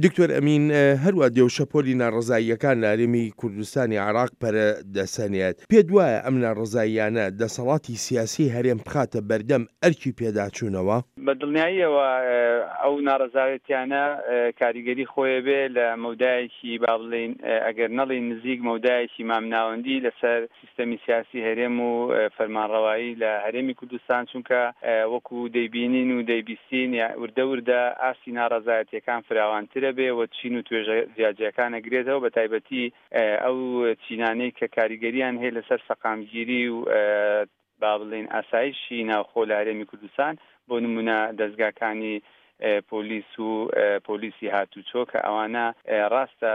دکتۆر ئەمین، هەروا دێ و شەپۆلی ناڕەزاییەکان لە هەرێمی کوردستانی عێراق پەرە دەسەنێت، پێت وایە ئەم ناڕەزاییانە دەسەڵاتی سیاسیی هەرێم بخاتە بەردەم ئەرکی پێداچوونەوە؟ بە دڵنیاییەوە ئەو ناڕەزایەتیانە کاریگەری خۆی بێ لە مەودایەکی با بڵێین ئەگەر نەڵێین نزیک مەودایەکی مامناوەندی لەسەر سیستەمی سیاسی هەرێم و فەرمانڕەوایی لە هەرێمی کوردستان، چونکە وەکو دەیبینین و دەیبیستین وردە وردە ئاستی ناڕەزایەتیەکان فراوانترە بێ و چین و توێژە جیاجیاکان ئەگرێتەوە بەتایبەتی ئەو چینانەی کە کاریگەریان هەیە لەسەر سەقامگیری و با بڵێین ئاسایشی ناوخۆ لە هەرێمی کوردستان، بۆ نموونە دەزگاکانی پۆلیس و پۆلیسی هاتوچۆ کە ئەوانە ڕاستە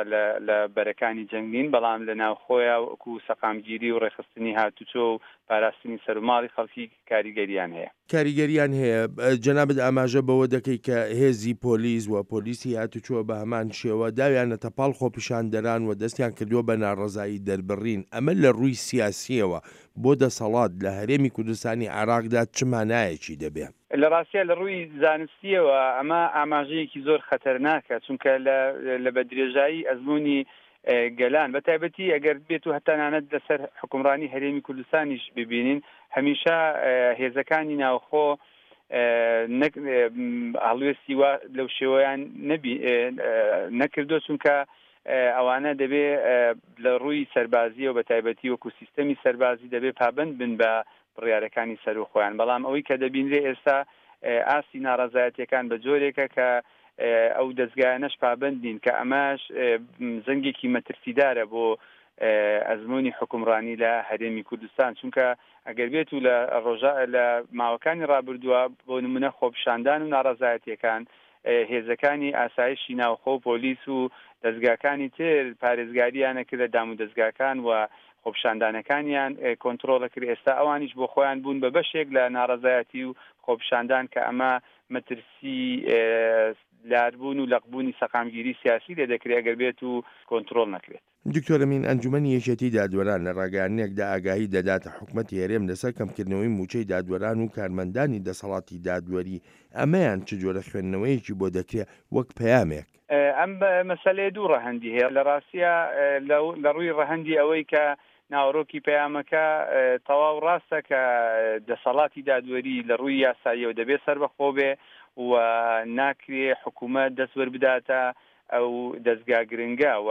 لە بەرەکانی جەنگ نین، بەڵام لە ناوخۆیا وەکو سەقامگیری و ڕێکخستنی هاتوچۆ و پاراستنی سەروماڵی خەڵکی کاریگەریان هەیە. کاریگەریان هەیە، جەنابت ئاماژە بەوە دەکەی کە هێزی پۆلیس و پۆلیسی هاتوچۆ بە هەمان شێوە داویانەتە پاڵ خۆپیشاندەران و دەستیان کردووە بە ناڕەزایی دەربڕین، ئەمە لە ڕووی سیاسییەوە بۆ دەسەڵات لە هەرێمی کوردستانی عێراقدا چ مانایەکی دەبێ؟ لە ڕاستیا لە ڕووی زانستییەوە ئەمە ئاماژەیەکی زۆر خەتەرناکە، چونکە لە لە بە درێژایی ئەزموونی گەلان بە تایبەتی ئەگەر بێت و هەتەنانەت لەسەر حوکمڕانی هەرێمی کوردستانیش ببینین هەمیشە هێزەکانی ناوخۆ نەک هەڵوێستی وا لەو شێوەیان نەبی نەکردو چونکە ئەوانە دەبێ لە ڕووی سەربازیەوە بە تایبەتی وەکو سیستەمی سەربازی دەبێ پابەند بن بە بڕیارەکانی سەروو خۆیان، بەڵام ئەوەی کە دەبینرێ ئێستا ئاستی ناڕەزایەتیەکان بە جۆرێکە کە ئەو دەزگایانەش پابەند نین کە ئەمەش زەنگێکی مەترسیدارە بۆ ئەزموونی حوکمڕانی لە هەرێمی کوردستان، چونکە ئەگەر بێت و لە ڕۆژە لە ماوەکانی ڕابردووە بۆ نمونە خۆپیشاندان و ناڕەزایەتیەکان هێزەکانی ئاسایشی ناوخۆ و پۆلیس و دەزگاکانی تر پارێزگارییان ئەکرد لە دامودەزگاکان و خۆپیشاندانەکانیان کۆنترۆڵ ئەکرد، ئێستا ئەوانیش بۆ خۆیان بوون بە بەشێک لە ناڕەزایەتی و خۆپیشاندان کە ئەمە مەترسی لاربوون و لەقبوونی سەقامگیری سیاسی لێ دەکرێت ئەگەر بێت و کۆنترۆڵ نەکرێت. دکتۆر ئەمین، ئەنجومەنی یەکێتی دادوەران لە ڕاگەیاندنێکدا ئاگاهی دەداتە حکومەتی هەرێم لەسەر کەمکردنەوەی مووچەی دادوەران و کارمەندانی دەسەڵاتی دادوەری، ئەمەیان چ جۆرە خوێندنەوەیەکی بۆ دەکرێ وەک پەیامێک؟ ئەم مەسەلەیە دوو ڕەهەندی هەیە، لە ڕاستیا لە ڕووی ڕەهەندی ئەوەی کە ناوەڕۆکی پەیامەکە تەواو ڕاستە کە دەسەڵاتی دادوەری لە ڕووی یاساییەوە دەبێ سەربەخۆ بێ و ناکرێ حکوومەت دەست وەربداتە ئەو دەزگا گرنگە و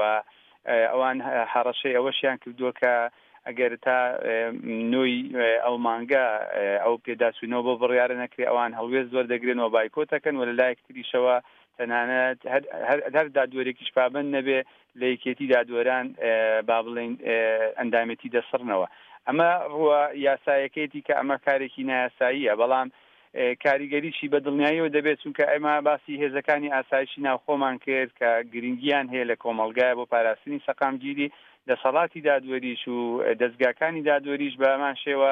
ئەوان هەڕەشەی ئەوەشیان کردووە کە ئەگەر تا نۆی ئەو مانگە ئەو پێداچوونەوە بۆ بڕیارە نەکرێ ئەوان هەڵوێست وەردەگرن و بایکۆت ئەکەن و لە لایەک تریشەوە تەنانەت هەر دادوەرێکیش پابەند نەبێ لە یەکێتی دادوەران با بڵێین ئەندامێتی دەسڕنەوە. ئەمە ڕووە یاسایەکەیەتی کە ئەمە کارێکی نایاساییە بەڵام کاریگەریی بە دڵنیاییەوە دەبێت، چونکە ئێمە باسی هێزەکانی ئاسایشی ناوخۆمان کرد کە گرنگیان هەیە لە کۆمەڵگای بۆ پاراستنی سەقامگیری، دەسەڵاتی دادوەریش و دەزگاکانی دادوەریش بە هەمان شێوە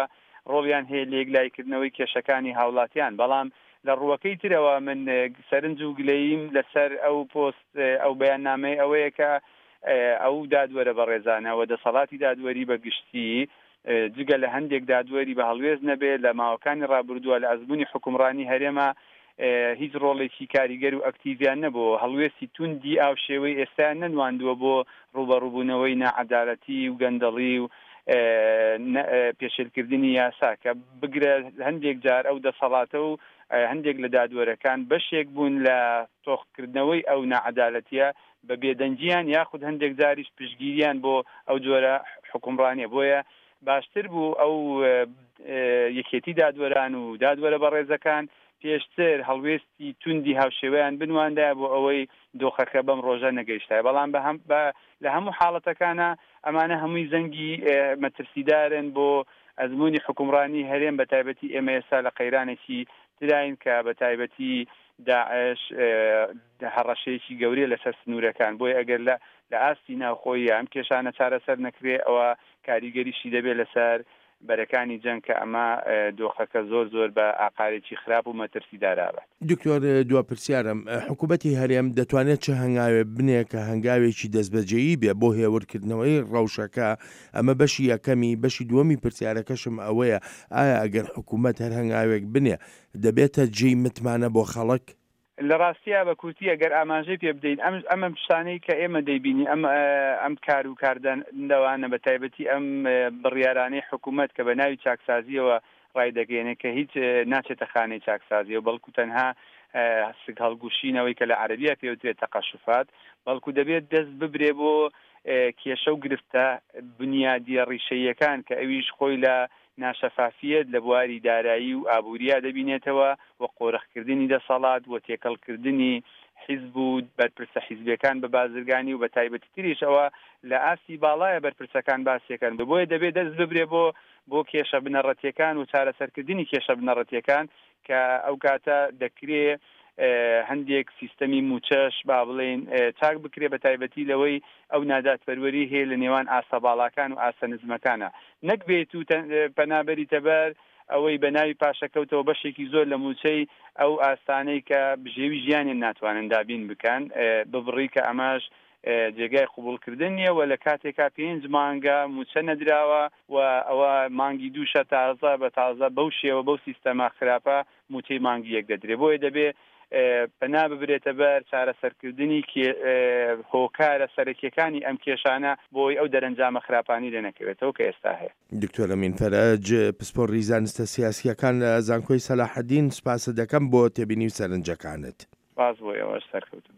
ڕۆڵیان هەیە لە یەکلاییکردنەوەی کێشەکانی هاوڵاتیان، بەڵام لە ڕووەکەی ترەوە من سەرنج و گلەییم لەسەر ئەو پۆست ئەو بەیاننامەی ئەوەیە کە ئەو دادوەرە بەڕێزانە و دەسەڵاتی دادوەری بە گشتی جگە لە هەندێک دادوەری بە هەڵوێست نەبێ لە ماوەکانی ڕابردووە لە ئەزموونی حوکمڕانی هەرێما هیچ ڕۆڵێکی کاریگەر و ئەکتیڤیان نەبووە، هەڵوێستی توندی ئاوشێوەی ئێستایان نەنواندووە بۆ ڕووبەڕووبوونەوەی ناعەدالەتی و گەندەڵی و پێشێلکردنی یاسا کە بگرە هەندێک جار ئەو دەسەڵاتە و هەندێک لە دادوەرەکان بەشێک بوون لە تۆخکردنەوەی ئەو ناعەدالەتیە بە بێدەنگیان یاخود هەندێک جاریش پشتگیریان بۆ ئەو جۆرە حوکمڕانیە بۆیە باشتر بوو ئەو یەکێتی دادوەران و دادوەرە بەڕێزەکان پێشتر هەڵوێستی توندی هاوشێوەیان بنواندایە بۆ ئەوەی دۆخەکە بەم ڕۆژە نەگەیشتایە بەڵام بە هەم بە لە هەموو حاڵەتەکانا ئەمانە هەمووی زەنگی مەترسیدارن بۆ ئەزموونی حوکمڕانی هەرێم بە تایبەتی ئێمە ئێستا لە قەیرانێکی تراین کە بە تایبەتی داعش هەڕەشەیەکی گەورەیە لەسەر سنوورەکان، بۆیە ئەگەر لە لە ئاستی ناوخۆیی ئەم کێشانە چارەسەر نەکرێ ئەوە کاریگەریشی دەبێت لەسەر بەرەکانی جەنگ کە ئەمە دۆخەکە زۆر زۆر بە ئاقارێکی خراپ و مەترسیدار ئەبات. دکتۆر دوا پرسیارم، حکوومەتی هەرێم دەتوانێت چ هەنگاوێ بنێ کە هەنگاوێکی دەستبەجێیی بێ بۆ هێورکردنەوەی ڕەوشەکە، ئەمە بەشی یەکەمی، بەشی دووەمی پرسیارەکەشم ئەوەیە ئایا ئەگەر حکوومەت هەر هەنگاوێک بنێ دەبێتە جێی متمانە بۆ خەڵک؟ لە ڕاستیا بە کورتی ئەگەر ئاماژەی پێ بدەین ئەم ئەم شتانەی کە ئێمە دەیبینین ئەم ئەم کار و کاردانەوانە بە تایبەتی ئەم بڕیارانەی حکوومەت کە بە ناوی چاکسازییەوە ڕایدەگەیەنێت کە هیچ ناچێتە خانەی چاکسازیەوە بەڵکو تەنها سک هەڵگوشینەوەی کە لە عەرەبیە پێوترێت تەقەشوفات بەڵکو دەبێت دەست ببرێ بۆ کێشە و گرفتە بنیادیە ڕیشەییەکان کە ئەویش خۆی لە ناشەفافیەت لە بواری دارایی و ئابووریا دەبینێتەوە و قۆرخکردنی دەسەڵات و تێکەڵکردنی حیزب و بەرپرسە حیزبیەکان بە بازرگانی و بە تایبەتیتریش ئەوە لە ئاستی باڵایە بەرپرسەکان باسیەکەن بۆیە دەبێت دەست ببرێ بۆ بۆ کێشە بنەڕەتیەکان و چارەسەرکردنی کێشە بنەڕەتیەکان کە ئەو کاتە دەکرێ هەندێک سیستەمی مووچەش با بڵێین چاک بکرێ بە تایبەتی لەوەی ئەو نادادپەروەری هەیە لە نێوان ئاستە باڵاکان و ئاستە نزمەکانە نەک بێت و پەنا بەریتە بەر ئەوەی بە ناوی پاشەکەوتەوە بەشێکی زۆر لە مووچەی ئەو ئاستانەی کە بژێوی ژیانیان ناتوانن دابین بکەن ببڕی کە ئەمەش جێگای قبوڵکردن نییە و لە کاتێکا پێنج مانگە مووچە نەدراوە و ئەوە مانگی دووشە تازە بە تازە بەو شێوە بەو سیستەمە خراپە مووچەی مانگی یەک دەدرێ بۆیە دەبێ پەنا ببرێتە بەر چارەسەرکردنی هۆکارە سەرەکیەکانی ئەم کێشانە بۆی ئەو دەرەنجامە خراپانەی لێ نەکەوێتەوە کە ئێستا هەیە. دکتۆر ئەمین فەرەج، پسپۆڕی زانستە سیاسییەکان لە زانکۆی سەلاحەدین، سوپاست دەکەم بۆ تێبینی و سەرنجەکانت. سوپاس بۆ ئێوەش، سەرکەوتوو بن.